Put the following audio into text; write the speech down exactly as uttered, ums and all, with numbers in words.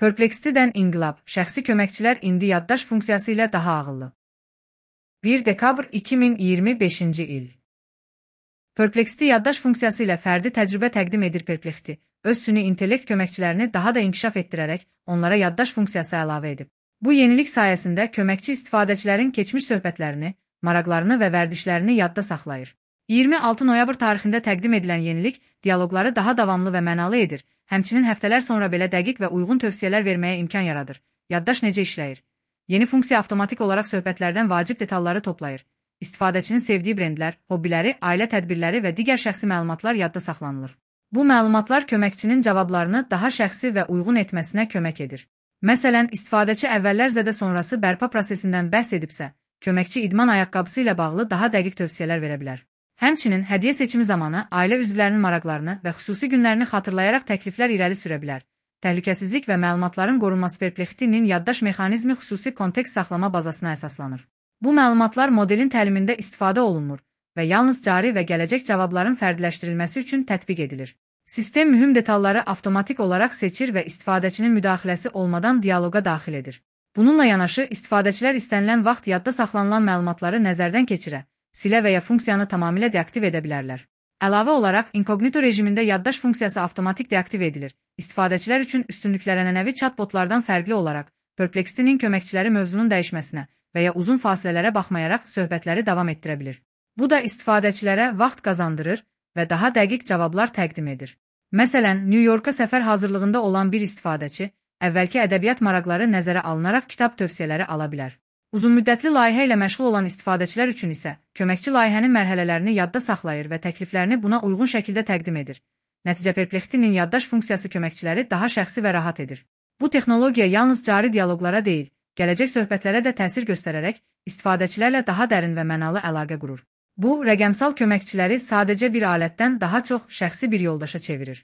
Perplexity-dən inqilab, şəxsi köməkçilər indi yaddaş funksiyası ilə daha ağıllı. bir dekabr iki min iyirmi beşinci il. Perplexity yaddaş funksiyası ilə fərdi təcrübə təqdim edir. Perplexity öz süni intellekt köməkçilərini daha da inkişaf etdirərək onlara yaddaş funksiyası əlavə edib. Bu yenilik sayəsində köməkçi istifadəçilərin keçmiş söhbətlərini, maraqlarını və vərdişlərini yadda saxlayır. iyirmi altı noyabr tarixində təqdim edilən yenilik dialoqları daha davamlı və mənalı edir, həmçinin həftələr sonra belə dəqiq və uyğun tövsiyələr verməyə imkan yaradır. Yaddaş necə işləyir? Yeni funksiya avtomatik olaraq söhbətlərdən vacib detalları toplayır. İstifadəçinin sevdiyi brendlər, hobbiləri, ailə tədbirləri və digər şəxsi məlumatlar yadda saxlanılır. Bu məlumatlar köməkçinin cavablarını daha şəxsi və uyğun etməsinə kömək edir. Məsələn, istifadəçi əvvəllər zədə sonrası bərpa prosesindən bəhs edibsə, köməkçi idman ayaqqabısı ilə bağlı daha dəqiq tövsiyələr verə bilər. Həmçinin hədiyyə seçimi zamanı ailə üzvlərinin maraqlarını və xüsusi günlərini xatırlayaraq təkliflər irəli sürə bilər. Təhlükəsizlik və məlumatların qorunması Perplexity-nin yaddaş mexanizmi xüsusi kontekst saxlama bazasına əsaslanır. Bu məlumatlar modelin təlimində istifadə olunmur və yalnız cari və gələcək cavabların fərdiləşdirilməsi üçün tətbiq edilir. Sistem mühüm detalları avtomatik olaraq seçir və istifadəçinin müdaxiləsi olmadan dialoqa daxil edir. Bununla yanaşı, istifadəçilər istənilən vaxt yadda saxlanılan məlumatları nəzərdən keçirə, silə və ya funksiyanı tamamilə deaktiv edə bilərlər. Əlavə olaraq, inkognito rejimində yaddaş funksiyası avtomatik deaktiv edilir. İstifadəçilər üçün üstünlüklərənənəvi chatbotlardan fərqli olaraq, Perplexity-nin köməkçiləri mövzunun dəyişməsinə və ya uzun fasilələrə baxmayaraq söhbətləri davam etdirə bilir. Bu da istifadəçilərə vaxt qazandırır və daha dəqiq cavablar təqdim edir. Məsələn, New Yorka səfər hazırlığında olan bir istifadəçi, əvvəlki ədəbiyyat maraqları nəzərə alınaraq kitab tövsiyələri ala bilər. Uzunmüddətli layihə ilə məşğul olan istifadəçilər üçün isə köməkçi layihənin mərhələlərini yadda saxlayır və təkliflərini buna uyğun şəkildə təqdim edir. Nəticə Perplexity-nin yaddaş funksiyası köməkçiləri daha şəxsi və rahat edir. Bu texnologiya yalnız cari dialoqlara deyil, gələcək söhbətlərə də təsir göstərərək istifadəçilərlə daha dərin və mənalı əlaqə qurur. Bu, rəqəmsal köməkçiləri sadəcə bir alətdən daha çox şəxsi bir yoldaşa çevirir.